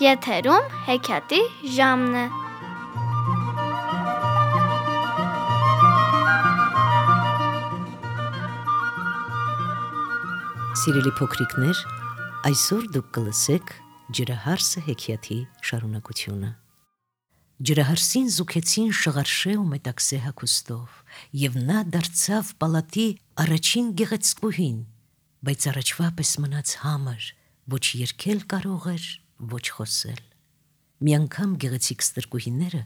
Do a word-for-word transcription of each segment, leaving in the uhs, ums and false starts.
Եթերում հեքիաթի ժամն է։ Սիրելի փոքրիկներ, այսօր դուք կլսեք ջրահարսը հեքիաթի շարունակությունը։ Ջրահարսին զուգեցին շղարշե ու մետաքսե հագուստով, եւ նա դարձավ պալատի առաջին գեղեցկուհին, բայց առաջվա պես մնաց համր, ոչ երգել կարող էր, ոչ խոսել։ Մի անգամ գեղեցիկ ստրկուհիները,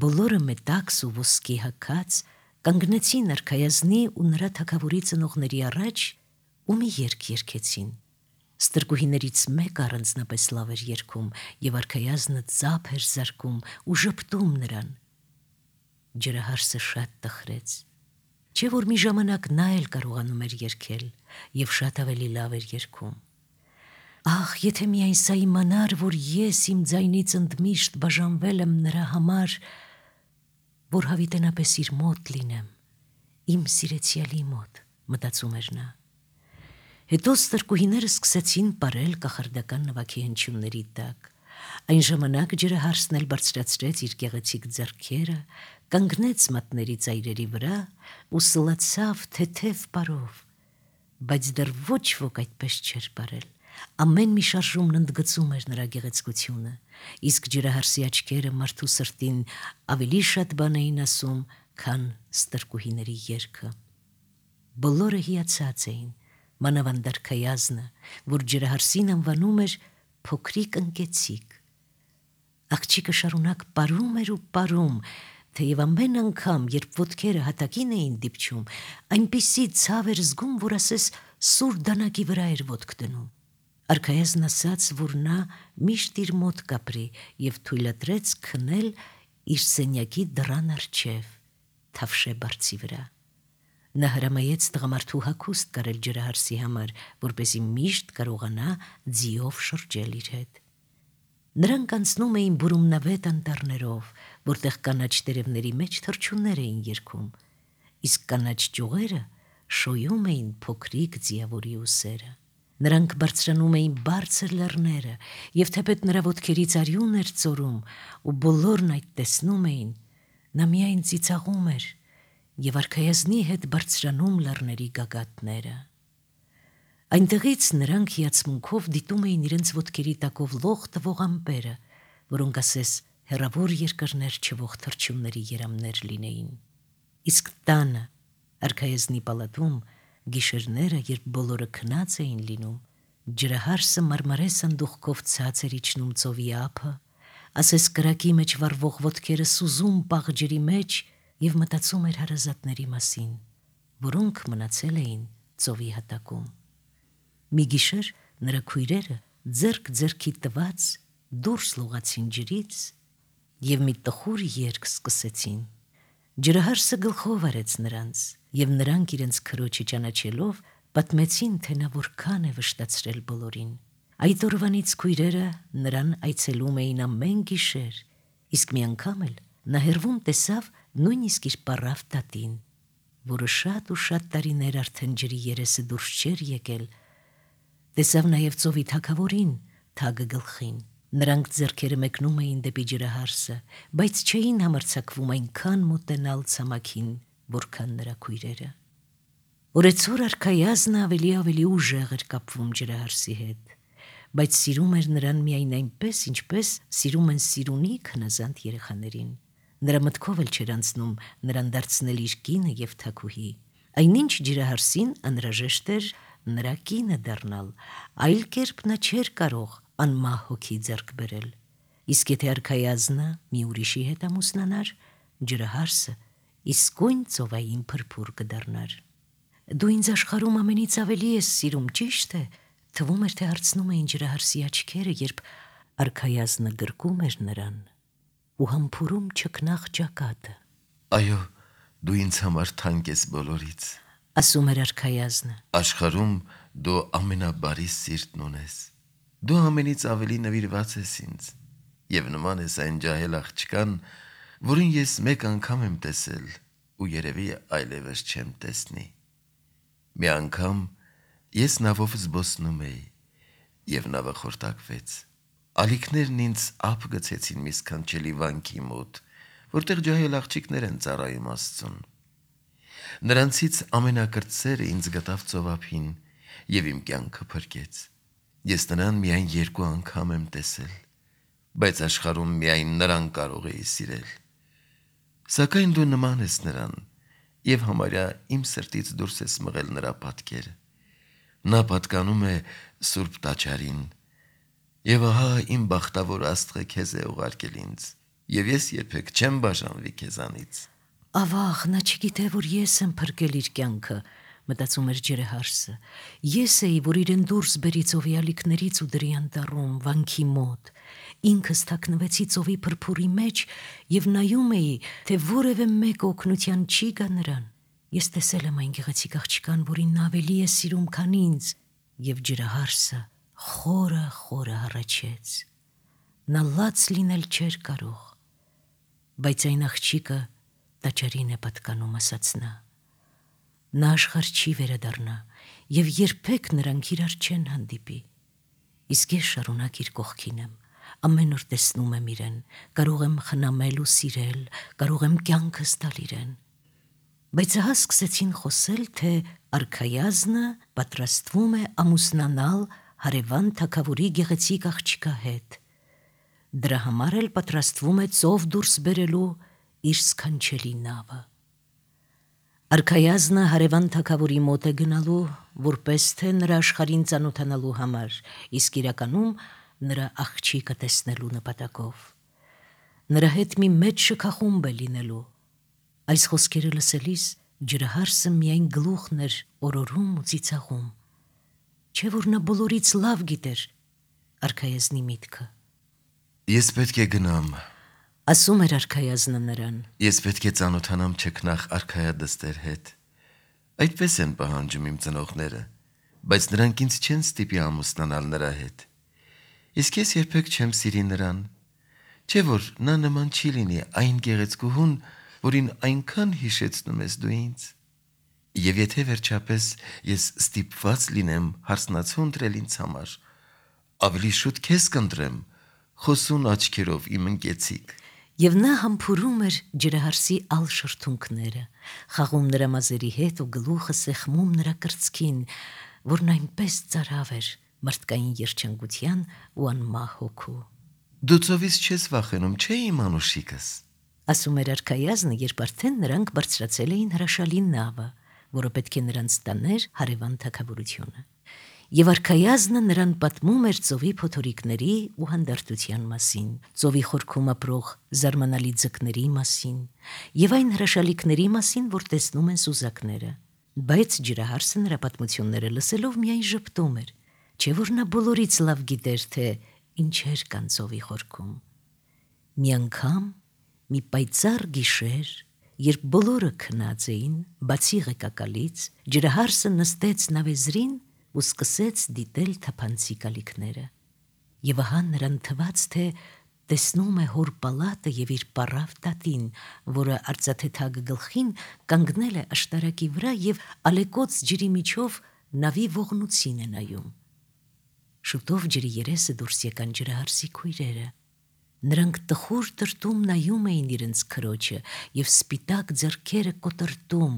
բոլորը մետաքս ու ոսկի հագած, կանգնեցին արքայազնի ու նրա թագավորի ծնողների առաջ ու մի երգ երգեցին։ Ստրկուհիներից մեկը առանձնապես լավ էր երգում եւ արքայազնը ծափ էր զարկում ու ժպտում նրան։ Ջրահարսը շատ տխրեց, չէ որ մի ժամանակ նա էլ կարողանում էր երգել եւ շատ ավելի լավ էր երգում։ Ահ, եթե միայն սա իմանար, որ ես իմ ձայնից ընդմիշտ բաժանվել եմ նրա համար, որ հավիտենապես իր մոտ լինեմ, իմ սիրեցյալի մոտ, մտածում էր նա։ Հետո ստրկուհիները սկսեցին պարել կախարդական նվագի հնչյունների տակ։ Այն ժամանակ ջրահարսն էլ բարձրացրեց իր գեղեցիկ ձեռքերը, կանգնեց մատների ծայրերի վրա ու սլացավ թեթև պարով, բայց դեռ ոչ ոք այդպես չէր պարել։ Ամեն մի շարժումն ընդգծում էր նրա գեղեցկությունը, իսկ ջրահարսի աչքերը մարդու սրտին ավելի շատ բան էին ասում, քան ստրկուհիների երգը։ Բոլորը հիացած էին, մանավանդ արքայազնը, որ ջրահարսին անվանում էր փոքրիկ ընկեցիկ։ Աղջիկը շարունակ պարում էր ու պարում, թեև ամեն անգամ, երբ ոտքերը հատակին էին դիպչում, այնպիսի ցավ էր զգում, որ ասես սուր դանակի վրա էր ոտք դնում։ Արքայազն ասաց, որ նա միշտ իր մոտ կապրի եւ թույլատրեց քնել իր սենյակի դռան առջև, թավշե բարձի վրա։ Նա հրամայեց տղամարդու հագուստ կարել ջրահարսի համար, որպեսզի միշտ կարողանա ձիով շրջել իր հետ։ Նրանք անցնում էին բուրումնավետ անտառներով, որտեղ կանաչ տերևների մեջ թռչուններ էին երգում, իսկ կանաչ ճյուղերը շոյում էին փոքրիկ ձիավորի ուսերը։ Նրանք բարձրանում էին բարձր լեռները, եւ թեպետ նրա ոտքերից արյուն էր ծորում, ու բոլորն այդ տեսնում էին, նա միայն ծիծաղում էր եւ արքայազնի հետ բարձրանում լեռների գագաթները։ Այնտեղից նրանք հիացմունքով դիտում էին իրենց ոտքերի տակով լող տվող ամպերը, որոնք ասես հեռավոր երկրներ չվող թռչունների երամներ լինեին։ Իսկ տանը, արքայազնի պալատում, գիշերները, երբ բոլորը քնած էին լինում, ջրահարսը մարմարե սանդուղքով ցած էր իջնում ծովի ափը, ասես կրակի մեջ վառվող ոտքերը սուզում պաղ ջրի մեջ եւ մտածում էր հարազատների մասին, որոնք մնացել էին ծովի հատակում։ Մի գիշեր նրա քույրերը ձեռք ձեռքի տված դուրս լողացին ջրից եւ մի տխուր երգ սկսեցին։ Ջրահարսը գլխով արեց նրանց, եւ նրանք իրենց քրոջը ճանաչելով պատմեցին, թե նա որքան է վշտացրել բոլորին։ Այդ օրվանից քույրերը նրան այցելում էին ամեն գիշեր, իսկ մի անգամ էլ նա հեռվում տեսավ նույնիսկ իր պառավ տատին, որը շատ ու շատ տարիներ արդեն ջրի երեսը դուրս չէր եկել, տեսավ նաև ծովի թագավորին թագը գլխին։ Նրանք ձեռքերը մեկնում էին դեպի ջրահարսը, բայց չէին համարձակվում այնքան մոտենալ ցամաքին, որքան նրա քույրերը։ Օրեցօր արքայազնը ավելի ավելի ուժեղ էր կապվում ջրահարսի հետ, բայց սիրում էր նրան միայն այնպես, ինչպես սիրում են սիրունիկ հնազանդ երեխաներին։ Նրա մտքով էլ չէր անցնում նրան դարձնել իր կինը եւ թագուհի։ Այնինչ ջրահարսին անհրաժեշտ էր նրա կինը դառնալ, այլ կերպ նա չէր կարող անմահ հոգի ձեռք բերել։ Իսկ եթե արքայազնը մի ուրիշի հետ ամուսնանար, ջրահարսը իսկույն ծովային փրփուր կդառնար։ Դու ինձ աշխարհում ամենից ավելի ես սիրում, ճիշտ է, թվում էր, թե հարցնում էին ջրահարսի աչքերը, երբ արքայազնը գրկում էր նրան ու համբուրում չքնաղ ճակատը։ Այո, դու ինձ համար թանկ ես բոլորից, ասում էր արքայազնը։ Աշխարհում դու ամենաբարի սիրտն ունես։ Դու ամենից ավելի նվիրված ես ինձ եւ նման ես այն ջահել աղջկան, որին ես մեկ անգամ եմ տեսել ու երևի այլևս չեմ տեսնի։ Մի անգամ ես նավով զբոսնում էի եւ նավը խորտակվեց։ ալիքներն ինձ ափ գցեցին մի սքանչելի վանքի մոտ, որտեղ ջահել աղջիկներ են ծառայում Աստծուն։ Նրանցից ամենակրտսերը ինձ գտավ ծովափին եւ իմ կյանքը փրկեց։ Ես նրան միայն երկու անգամ եմ տեսել, բայց աշխարհում միայն նրան կարող էի սիրել։ Սակայն դու նման ես նրան եւ համարյա իմ սրտից դուրս ես մղել նրա պատկերը։ Նա պատկանում է Սուրբ Տաճարին, եւ ահա իմ բախտավոր Աստղը քեզ է ուղարկել ինձ, եւ ես երբեք չեմ բաժանվի քեզանից։ Ավաղ, նա չգիտե, որ ես եմ փրկել իր կյանքը, մտածում էր ջրահարսը։ Ես էի, որ իրեն դուրս բերի ծովի ալիքներից ու դրի անտառում, վանքի մոտ։ Ինքս թաքնվեցի ծովի փրփուրի մեջ եւ նայում էի, թե որևէ մեկ օգնության չի գա նրան։ Ես տեսել եմ այն գեղեցիկ աղջկան, որին նա ավելի է սիրում, քան ինձ, եւ ջրահարսը խորը խորը հառաչեց։ Նա լաց լինել չէր կարող, բայց այն աղջիկը տաճարին է պատկանում, ասաց նա։ Նա աշխարհ չի վերադառնա եւ երբեք նրանք իրար չեն հանդիպի։ Իսկ ես շարունակ իր կողքին եմ, ամեն օր տեսնում եմ իրեն, կարող եմ խնամել ու սիրել, կարող եմ կյանքս տալ իրեն։ Բայց ահա սկսեցին խոսել, թե արքայազնը պատրաստվում է ամուսնանալ հարևան թագավորի գեղեցիկ աղջկա հետ։ Դրա համար էլ պատրաստվում է ծով դուրս բերելու իր սքանչելի նավը։ Արքայազնը հարևան թագավորի մոտ է գնալու, որպես թե նրա աշխարհին ծանոթանալու համար, իսկ իրականում նրա աղջիկը տեսնելու նպատակով։ Նրա հետ մի մեծ շքախումբ է լինելու։ Այս խոսքերը լսելիս ջրահարսը միայն գլուխն էր օրորում ու ծիծաղում։ Չէ՞ որ նա բոլորից լավ գիտեր արքայազնի միտքը։ Ես պետք է գնամ, ասում էր արքայազնը նրան։ Ես պետք է ծանոթանամ չքնաղ արքայադստեր հետ։ Այդպես են պահանջում իմ ծնողները, բայց նրանք ինձ չեն ստիպի ամուսնանալ նրա հետ։ Իսկ ես երբեք չեմ սիրի նրան։ Չէ՞ որ նա նման չի լինի այն գեղեցկուհուն, որին այնքան հիշեցնում ես դու ինձ։ Եվ եթե վերջապես ես ստիպված լինեմ հարսնացու ընտրել ինձ համար, ավելի շուտ քեզ կընտրեմ, խոսուն աչքերով իմ ընկեցիկ։ Եվ նա համբուրում էր ջրահարսի ալ շրթունքները, խաղում նրա մազերի հետ ու գլուխը սեղմում նրա կրծքին, որն այնպես ծարավ էր մարդկային երջանկության ու անմահ հոգու։ Դու ծովից չես վախենում, չէ՞ իմ անուշիկս, ասում էր արքայազնը, երբ արդեն նրանք բարձրացել էին հրաշալի նավը, որը պետք է նրանց տաներ հարևան թագավորությունը։ Եվ արքայազնը նրան պատմում էր ծովի փոթորիկների ու հանդարտության մասին, ծովի խորքում ապրող զարմանալի ձկների մասին եւ այն հրաշալիքների մասին, որ տեսնում են սուզակները։ Բայց ջրահարսը նրա պատմությունները լսելով միայն ժպտում էր, չէ՞ որ նա բոլորից լավ գիտեր, թե ինչեր կան ծովի խորքում։ Մի անգամ, մի պայծառ գիշեր, երբ բոլորը քնած էին, բացի ղեկակալից, ջրահարսը նստեց նավեզրին ու սկսեց դիտել թափանցիկ ալիքները։ Եվ ահա նրան թվաց, թե տեսնում է հոր պալատը եւ իր պարավ տատին, որը արծաթեթագ գլխին կանգնել է աշտարակի վրա եւ ալեկոծ ջրի միջով նավի ողնուցին է նայում։ Շուտով ջրի երեսը դուրս եկան ջրահարսի քույրերը։ Նրանք տխուր տրտում նայում էին իրենց քրոջը եւ սպիտակ ձեռքերը կոտրտում,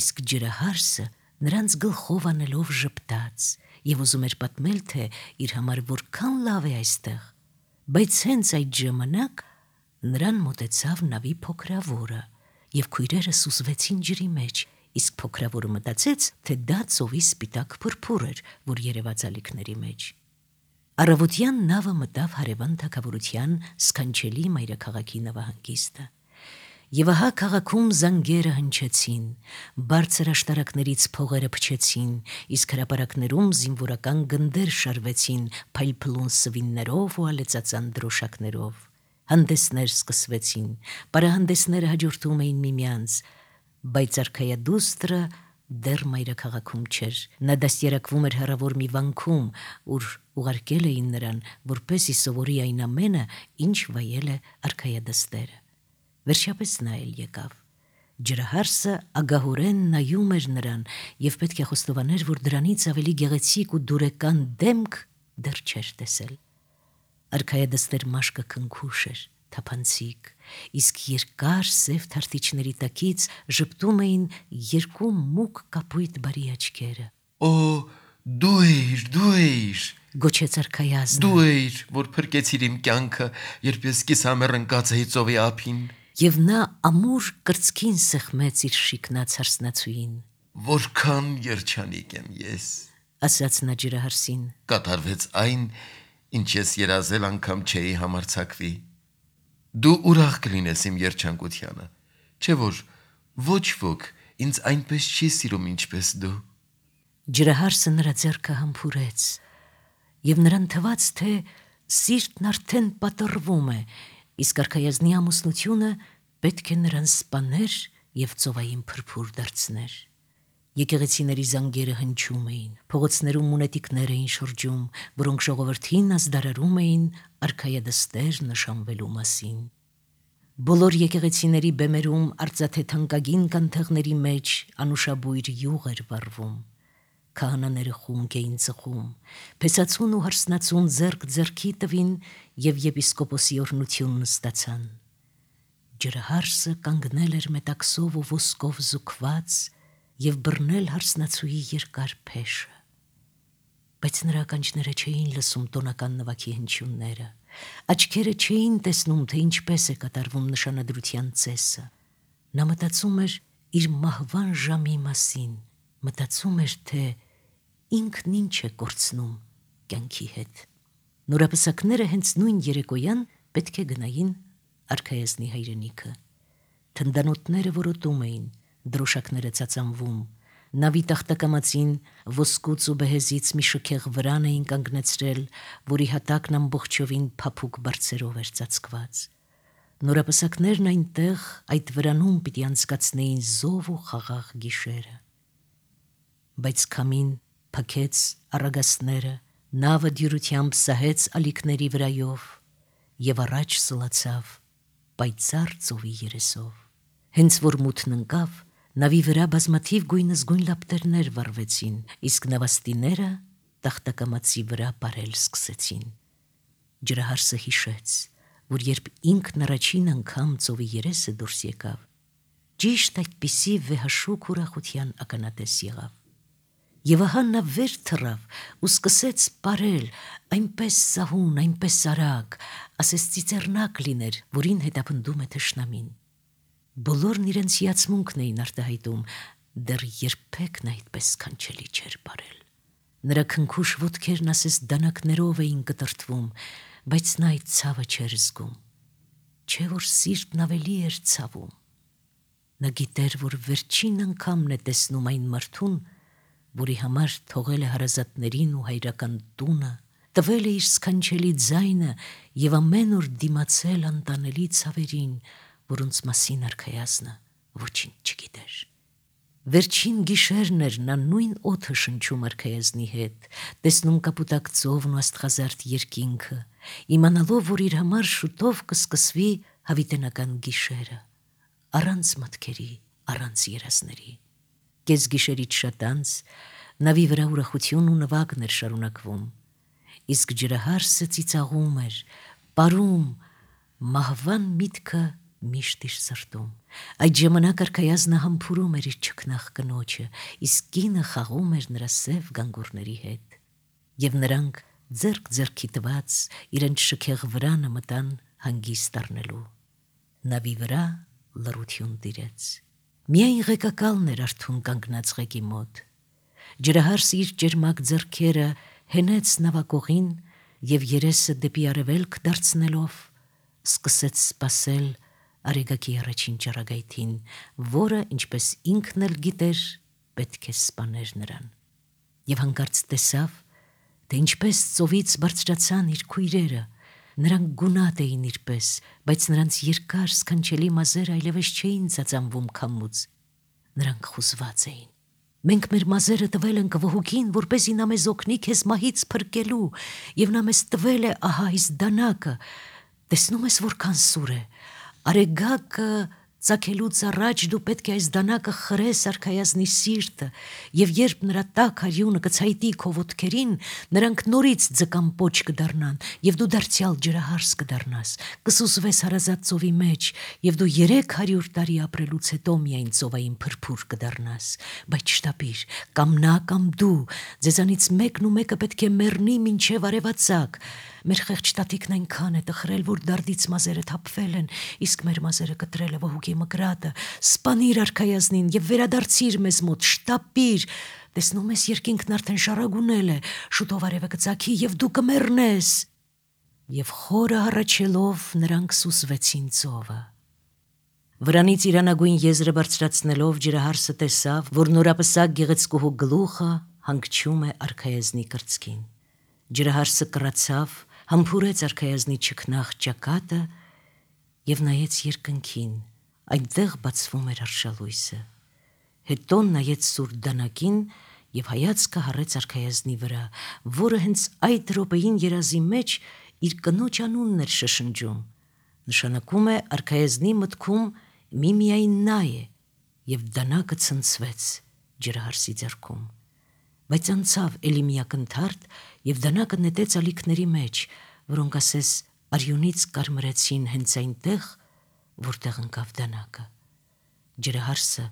իսկ ջրահարսը նրանց գլխով անելով ժպտաց եւ ուզում էր պատմել, թե իր համար որքան լավ է այստեղ, բայց հենց այդ ժամանակ նրան մոտեցավ նավի փոքրավորը եւ քույրերը սուզվեցին ջրի մեջ, իսկ փոքրավորը մտածեց, թե դա ծովի սպիտակ փրփուր էր, որ երևաց ալիքների մեջ։ Առավոտյան նավը մտավ հարևան թագավորության սքանչելի մայրաքաղաքի նավահանգիստը։ Եվ ահա քաղաքում զանգերը հնչեցին, բարձր աշտարակներից փողերը փչեցին, իսկ հրապարակներում զինվորական գնդեր շարվեցին փայլփլուն սվիններով ու ալեծածան դրոշակներով։ Հանդեսներ սկսվեցին, պարահանդեսները հաջորդում էին միմյանց, բայց արքայադուստրը դեռ մայրաքաղաքում չէր։ Նա դաստիարակվում էր հեռավոր մի վանքում, ուր ուղարկել էին նրան, որպեսզի սովորի այն ամենը, ինչ վայել է արքայադստերը։ Վերջապես նա էլ եկավ։ Ջրահարսը ագահորեն նայում էր նրան եւ պետք է խոստովաներ, որ դրանից ավելի գեղեցիկ ու դուրեկան դեմք դեռ չէր տեսել։ Արքայադստեր մաշկը քնքուշ էր, թափանցիկ, իսկ երկար սև թարթիչների տակից ժպտում էին երկու մուգ կապույտ բարի աչքերը։ Օ, դու էիր, դու էիր, Գոչեց արքայազնը։ դու էիր, որ փրկեցիր իմ կյանքը, երբ ես կիսամեռ ընկած էի ծովի ափին։ Եվ նա ամուր կրծքին սեղմեց իր շիկնած հարսնացուին։ Որքան երջանիկ եմ ես։ Ասաց նա ջրահարսին։ Կատարվեց այն, ինչ ես երազել անգամ չէի համարձակվի։ Դու ուրախ կլինես իմ երջանկությանը, չէ՞ որ ոչ ոք ինձ այնպես չի սիրում, ինչպես դու։ Ջրահարսը նրա ձեռքը համբուրեց, եւ նրան թվաց, թե սիրտն արդեն պատռվում է, իսկ արքայազնի ամուսնությունը պետք է նրան սպաներ եւ ծովային փրփուր դարձներ։ Եկեղեցիների զանգերը հնչում էին, փողոցներում մունետիկներ էին շրջում, որոնք ժողովրդին ազդարարում էին արքայադստեր նշանվելու մասին։ Բոլոր եկեղեցիների բեմերում արծաթե թանկագին կանթեղների մեջ անուշաբույր յուղ էր վառվում։ Քահանաները խումք էին ծխում, փեսացուն ու հարսնացուն ձեռք ձեռքի տվին եւ եպիսկոպոսի օրհնությունն ստացան։ Ջրահարսը կանգնել էր մետաքսով ու ոսկով զուգված եւ բռնել հարսնացուի երկար փեշը։ Բայց նրա ականջները չէին լսում տոնական նվագի հնչյունները, աչքերը չէին տեսնում, թե ինչպես է կատարվում նշանադրության ծեսը։ Նա մտածում էր իր մահվան ժամի մասին, մտածում էր, թե ինքն ինչ է կորցնում կյանքի հետ։ Նորապսակները հենց նույն երեկոյան պետք է գնային արքայազնի հայրենիքը։ Թնդանոթները որոտում էին, դրոշակները ծածանվում, նավի տախտակամածին ոսկուց ու բեհեզից մի շքեղ վրան էին կանգնեցրել, որի հատակն ամբողջովին փափուկ բարձերով էր ծածկված։ Նորապսակներն այնտեղ այդ վրանում պիտի անցկացնեին զով ու խաղաղ գիշերը։ Բայց քամին փքեց առագաստները, նավը դյուրությամբ սահեց ալիքների վրայով եւ առաջ սլացավ պայծառ ծովի երեսով։ Հենց որ մութն ընկավ, նավի վրա բազմաթիվ գույնզգույն լապտերներ վառվեցին, իսկ նավաստիները տախտակամածի վրա բարել սկսեցին։ Ջրահարսը հիշեց, որ երբ ինքն առաջին անգամ ծովի երեսը դուրս եկավ, ճիշտ այդպիսի վեհաշուկ ուրախության ականատես եղավ։ Եվ ահա նա վեր թռավ ու սկսեց պարել, այնպես սահուն, այնպես արագ, ասես ծիծեռնակ լիներ, որին հետապնդում է թշնամին։ Բոլորն իրենց հիացմունքն էին արտահայտում, դեռ երբեք նա այդպես սքանչելի չէր պարել։ Նրա քնքուշ ոտքերն ասես դանակներով էին կտրտվում, բայց նա այդ ցավը չէր զգում։ Չէ՞ որ սիրտն ավելի էր ցավում։ Նա գիտեր, որ վերջին անգամն է տեսնում այն մարդուն, որի համար թողել է հարազատներին ու հայրական տունը, տվել է իր սքանչելի ձայնը եւ ամեն օր դիմացել անտանելի ցավերին, որոնց մասին արքայազնը ոչինչ չգիտեր։ Վերջին գիշերն էր նա նույն օդը շնչում արքայազնի հետ, տեսնում կապուտակ ծովն ու աստղազարդ երկինքը, իմանալով, որ իր համար շուտով կսկսվի հավիտենական գիշերը, առանց մտքերի, առանց երազների։ Կես գիշերից շատ անց նավի վրա ուրախություն ու նվագն էր շարունակվում, իսկ ջրահարսը ծիծաղում էր, պարում, մահվան միտքը միշտ իր սրտում։ Այդ ժամանակ արքայազնը համբուրում էր իր չքնաղ կնոջը, իսկ կինը խաղում էր նրա սև գանգուրների հետ։ Եվ նրանք ձեռք ձեռքի տված իրենց շքեղ վրանը մտան հանգիստ առնելու։ Նավի վրա լռություն տիրեց։ Միայն ղեկակալն էր արթուն կանգնած ղեկի մոտ։ Ջրահարսը իր ճերմակ ձեռքերը հենեց նավակողին եւ երեսը դեպի արևելք դարձնելով սկսեց սպասել արեգակի առաջին ճառագայթին, որը, ինչպես ինքն էլ գիտեր, պետք է սպաներ նրան։ Եվ հանկարծ տեսավ, թե ինչպես ծովից բարձրացան իր քույրերը, նրանք գունատ էին իրպես, բայց նրանց երկար սքանչելի մազերը այլևս չէին ծածանվում քամուց, նրանք խուզված էին։ Մենք մեր մազերը տվել ենք վհուկին, որպեսզի նա մեզ օգնի քեզ մահից փրկելու, եւ նա մեզ տվել է ահա այս դանակը, տեսնում ես որքան սուր է, արեգակը Ծագելուց առաջ դու պետք է այս դանակը խրես արքայազնի սիրտը, եւ երբ նրա տաք արյունը կցայտի քո ոտքերին, նրանք նորից ձկան պոչ կդառնան, եւ դու դարձյալ ջրահարս կդառնաս, կսուզվես հարազատ ծովի մեջ, եւ դու երեք հարյուր տարի ապրելուց հետո միայն ծովային փրփուր կդառնաս։ Բայց շտապիր, կամ նա, կամ դու, ձեզանից մեկն ու մեկը պետք է մեռնի մինչև արևածագ։ Մեր խեղճ տատիկն այնքան է տխրել, որ դարդից մազերը թափվել են, իսկ մեր մազերը կտրել է ողուկի մկրատը։ Սպանիր արքայազնին եւ վերադարձիր մեզ մոտ, շտապիր։ Տեսնում ես, երկինքն արդեն շարագունել է, շուտով արևը կծագի եւ դու կմեռնես։ Եվ խորը հառաչելով նրանք սուսվեցին ծովը։ Վրանից իրանագույն եզրը բարձրացնելով ջրահարսը տեսավ, որ նորապսակ գեղեցկուհու գլուխը հանգչում է արքայազնի կրծքին։ Ջրահարսը կռացավ, համբուրեց արքայազնի չքնաղ ճակատը եւ նայեց երկնքին, այնտեղ բացվում էր արշալույսը։ Հետո նայեց սուր դանակին եւ հայացքը հառեց արքայազնի վրա, որը հենց այդ րոպեին երազի մեջ իր կնոջ անունն էր շշնջում։ Նշանակում է արքայազնի մտքում միմիայն նա է, եւ դանակը ցնցվեց ջրահարսի ձեռքում։ Բայց անցավ էլի մի ակնթարթ եւ դանակը նետեց ալիքների մեջ, որոնք ասես արյունից կարմրեցին հենց այնտեղ, որտեղ ընկավ դանակը։ Ջրահարսը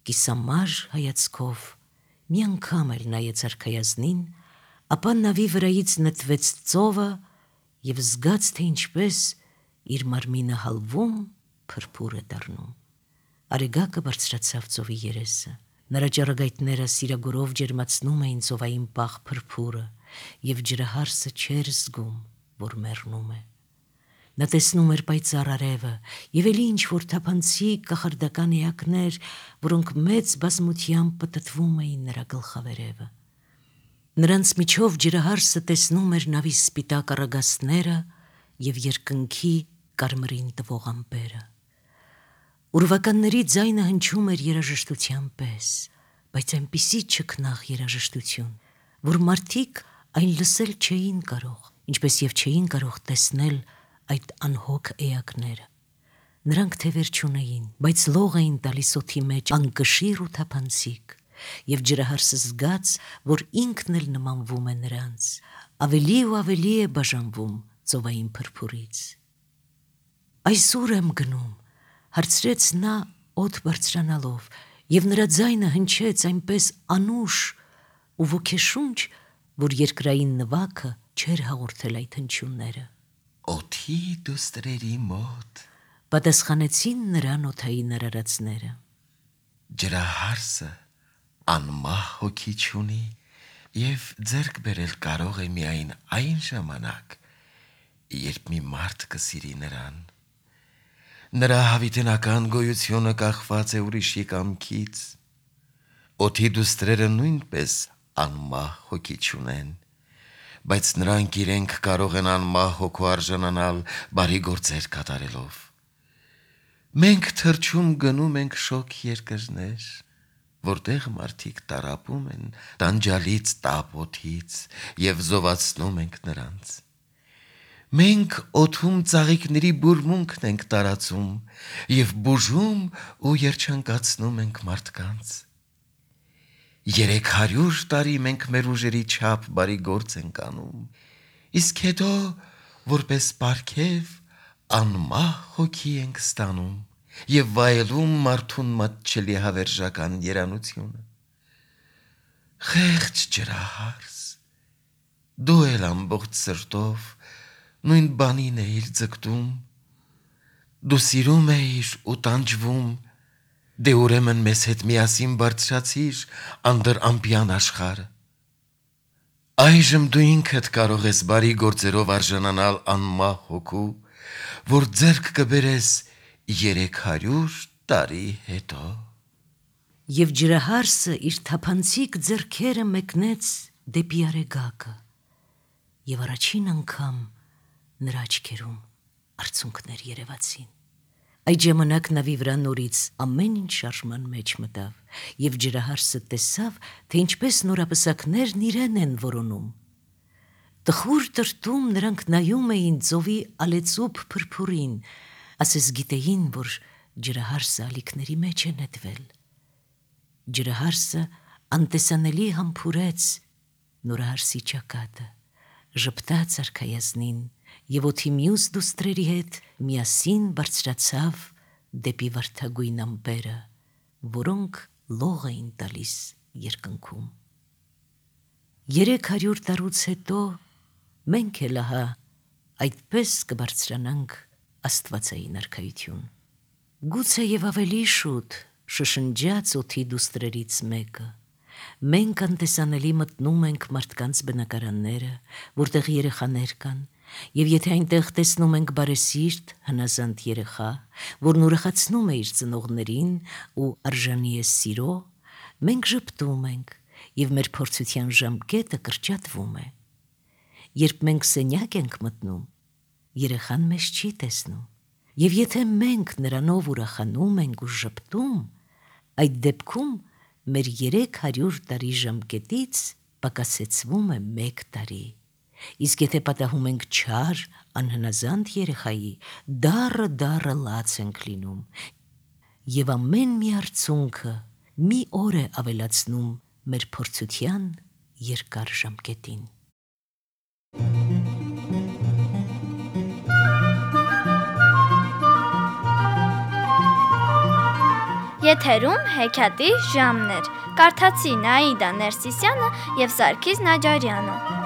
կիսամար հայացքով մի անգամ էլ նայեց արքայազնին, ապա նավի վրայից նետվեց ծովը եւ զգաց, թե ինչպես իր մարմինը հալվում, փրփուր է դառնում։ Արեգակը բարձրացավ ծովի երեսը։ Նրա ճառագայթները սիրագորով ջերմացնում էին ծովային պաղ փրփուրը, եւ ջրահարսը չէր զգում, որ մեռնում է։ Նա տեսնում էր պայծառ արևը եւ էլի ինչ-որ թափանցիկ կախարդական էակներ, որոնք մեծ բազմությամբ պտտվում էին նրա գլխավերևը։ Նրանց միջով ջրահարսը տեսնում էր նավի սպիտակ առագաստները եւ երկնքի կարմրին տվող ամպերը։ Ուրվականների ձայնը հնչում էր երաժշտության պես, բայց այնպիսի չքնաղ երաժշտություն, որ մարդիկ այն լսել չէին կարող, ինչպես եւ չէին կարող տեսնել այդ անհոգ էակները։ Նրանք թևեր չունեին, բայց լող էին տալիս օդի մեջ անկշիռ ու թափանցիկ, եւ ջրահարսը զգաց, որ ինքն էլ նմանվում է նրանց, ավելի ու ավելի է բաժանվում ծովային փրփուրից։ Այսօր եմ գնում, հարցրեց նա օդ բարձրանալով, եւ նրա ձայնը հնչեց այնպես անուշ ու ոգեշունչ, որ երկրային նվագը չէր հաղորդել այդ հնչյունները։ Օդի դուստրերի մոտ, պատասխանեցին նրան օդային արարածները։ Ջրահարսը անմահ հոգի չունի եւ ձեռք բերել կարող է միայն այն ժամանակ, երբ մի մարդ կսիրի նրան։ Նրա հավիտենական գոյությունը կախված է ուրիշի կամքից։ Օդի դուստրերը նույնպես անմահ հոգի չունեն, բայց նրանք իրենք կարող են անմահ հոգու արժանանալ բարի գործեր կատարելով։ Մենք թրջում գնում ենք շոգ երկրներ, որտեղ մարդիկ տարապում են տանջալից տապ օդից եւ զովացնում ենք նրանց։ Մենք օդում ծաղիկների բուրմունքն ենք տարածում եւ բուժում ու երջանկացնում ենք մարդկանց։ Երեք հարյուր տարի մենք մեր ուժերի չափ բարի գործ ենք անում, իսկ հետո որպես պարգև անմահ հոգի ենք ստանում եւ վայելում մարդուն մատչելի հավերժական երանությունը։ Խեղճ ջրահարս, դու էլ ամբողջ սրտով նույն բանին էիր ձգտում, դու սիրում էիր ու տանջվում, դե ուրեմն մեզ հետ միասին բարձրացիր անդրամպյան աշխարհը։ Այժմ դու ինքդ կարող ես բարի գործերով արժանանալ անմահ հոգու, որ ձեռք կբերես երեք հարյուր տարի հետո։ Եվ ջրահարսը իր թափանցիկ ձեռքերը մեկնեց դեպի արեգակը, եւ առաջին անգամ նրա աչքերում արցունքներ երևացին։ Այդ ժամանակ նավի վրա նորից ամեն ինչ շարժման մեջ մտավ, եւ ջրահարսը տեսավ, թե ինչպես նորապսակներն իրեն են որոնում։ Տխուր տրտում նրանք նայում էին ծովի ալեցուփ փրփուրին, ասես գիտեին, որ ջրահարսը ալիքների մեջ է նետվել։ Ջրահարսը անտեսանելի համբուրեց նորահարսի ճակատը, ժպտաց արքայազնին եւ օդի մյուս դուստրերի հետ միասին բարձրացավ դեպի վարդագույն ամպերը, որոնք լող էին տալիս երկնքում։ Երեք հարյուր տարուց հետո մենք էլ ահա այդպես կբարձրանանք աստվածային արքայություն։ Գուցե եւ ավելի շուտ շշնջաց օդի դուստրերից մեկը։ Մենք անտեսանելի մտնում ենք մարդկանց բնակարանները, որտեղ երեխաներ կան, եւ եթե այնտեղ տեսնում ենք բարեսիրտ, հնազանդ երեխա, որն ուրախացնում է իր ծնողներին ու արժանի է սիրո, մենք ժպտում ենք եւ մեր փորձության ժամկետը կրճատվում է։ Երբ մենք սենյակ ենք մտնում, երեխան մեզ չի տեսնում, եւ եթե մենք նրանով ուրախանում ենք ու ժպտում, այդ դեպքում մեր երեք հարյուր տարի ժամկետից պակասեցվում է մեկ տարի։ Իսկ եթե պատահում ենք չար, անհնազանդ երեխայի, դառը դառը լաց ենք լինում, եւ ամեն մի արցունքը մի օր է ավելացնում մեր փորձության երկար ժամկետին։ Եթերում հեքիաթի ժամներ։ Կարդացի Նաիդա Ներսիսյանը եւ Սարգիս Նաջարյանը։